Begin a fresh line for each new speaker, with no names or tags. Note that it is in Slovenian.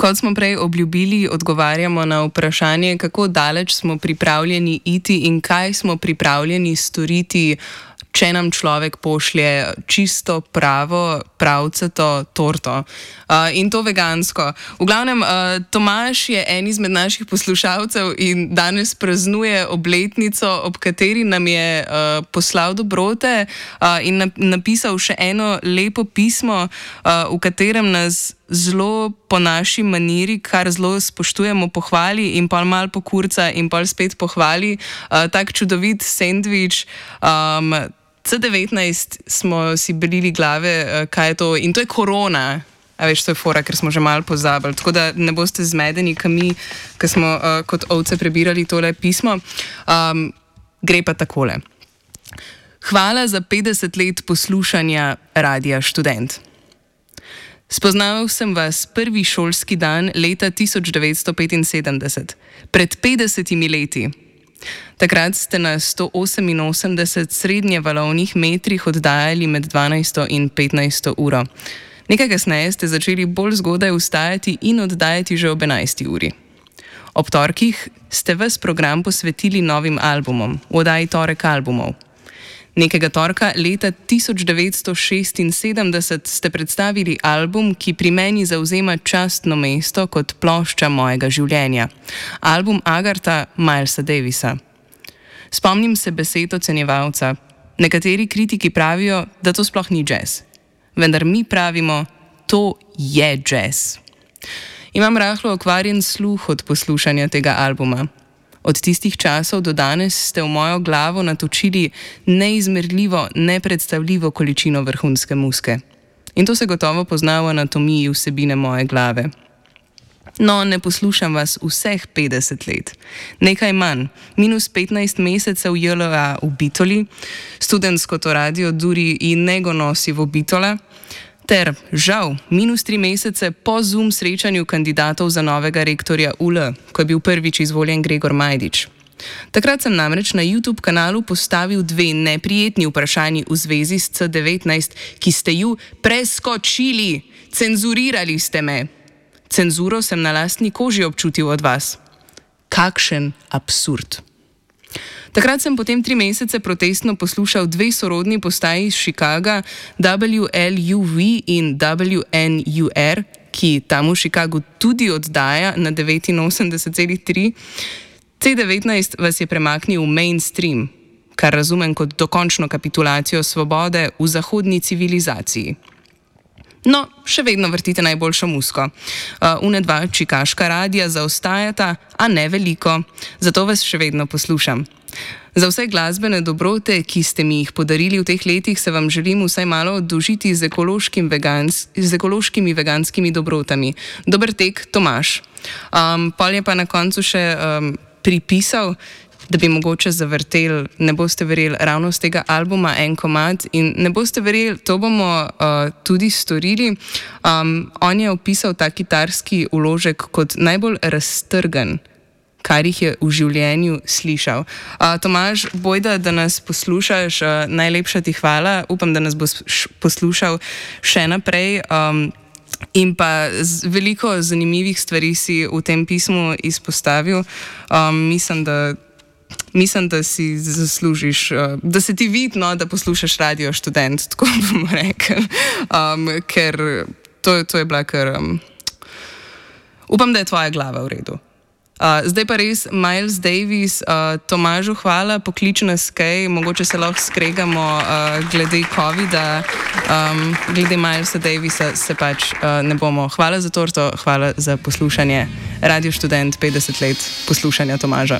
Kot smo prej obljubili, odgovarjamo na vprašanje, kako daleč smo pripravljeni iti in kaj smo pripravljeni storiti, če nam človek pošlje čisto pravo, pravcato torto. In to vegansko. V glavnem, Tomaž je en izmed naših poslušalcev in danes praznuje obletnico, ob kateri nam je poslal dobrote in napisal še eno lepo pismo, v katerem nas zelo po naši maniri, kar zelo spoštujemo, pohvali in pol mal pokurca in pol spet pohvali. Tak čudovit sendvič. C19 smo si belili glave, kaj je to, in to je korona. A veš, to je fora, ker smo že malo pozabili. Tako da ne boste zmedeni, ki smo kot ovce prebirali tole pismo. Gre pa takole. Hvala za 50 let poslušanja Radia Študent. Spoznal sem vas prvi šolski dan leta 1975, pred 50 leti. Takrat ste na 188 srednjevalovnih metrih oddajali med 12. in 15. uro. Nekaj kasneje ste začeli bolj zgodaj vstajati in oddajati že ob 11. uri. Ob torkih ste ves program posvetili novim albumom, v oddaji Torek albumov. Nekega torka leta 1976 ste predstavili album, ki pri meni zavzema častno mesto kot plošča mojega življenja. Album Agartha Milesa Davisa. Spomnim se besed ocenjevalca. Nekateri kritiki pravijo, da to sploh ni jazz. Vendar mi pravimo, to je jazz. Imam rahlo okvarjen sluh od poslušanja tega albuma. Od tistih časov do danes ste v mojo glavo natočili neizmerljivo, nepredstavljivo količino vrhunske muzike. In to se gotovo pozna v anatomiji vsebine moje glave. No, ne poslušam vas vseh 50 let. Nekaj manj, minus 15 mesecev JLA v Bitoli, študentsko to radio Duri in nego nosi v Bitola, ter, žal, minus 3 mesece po Zoom srečanju kandidatov za novega rektorja UL, ko je bil prvič izvoljen Gregor Majdič. Takrat sem namreč na YouTube kanalu postavil 2 neprijetni vprašanji v zvezi s C19, ki ste ju preskočili, cenzurirali ste me. Cenzuro sem na lastni koži občutil od vas. Kakšen absurd. Takrat sem potem 3 mesece protestno poslušal 2 sorodni postaji iz Chicaga, WLUV in WNUR, ki tam v Chicagu tudi oddaja na 89,3. C19 vas je premaknil v mainstream, kar razumem kot dokončno kapitulacijo svobode v zahodni civilizaciji. No, še vedno vrtite najboljšo muziko. Une 2 čikaška radija zaostajata, a ne veliko, zato vas še vedno poslušam. Za vse glasbene dobrote, ki ste mi jih podarili v teh letih, se vam želim vsaj malo oddolžiti z ekološkimi veganskimi dobrotami. Dober tek, Tomaž. Pol je pa na koncu še pripisal, da bi mogoče zavrtel, ne boste verjeli, ravno z tega albuma en komad in ne boste verjeli, to bomo tudi storili. On je opisal ta kitarski vložek kot najbolj raztrgan, kar jih je v življenju slišal. Tomaž, bojda, da nas poslušaš, najlepša ti hvala, upam, da nas boš poslušal še naprej. In pa veliko zanimivih stvari si v tem pismu izpostavil. Mislim, da si zaslužiš, da se ti vidi, no, da poslušaš Radio Študent, tako bomo rekli, ker to je bila kar... Upam, da je tvoja glava v redu. Zdaj pa res, Miles Davis, Tomažu hvala, poklič nas kaj, mogoče se lahko skregamo glede COVID-a, glede Milesa Davisa se pač ne bomo. Hvala za torto, hvala za poslušanje. Radio Študent, 50 let poslušanja Tomaža.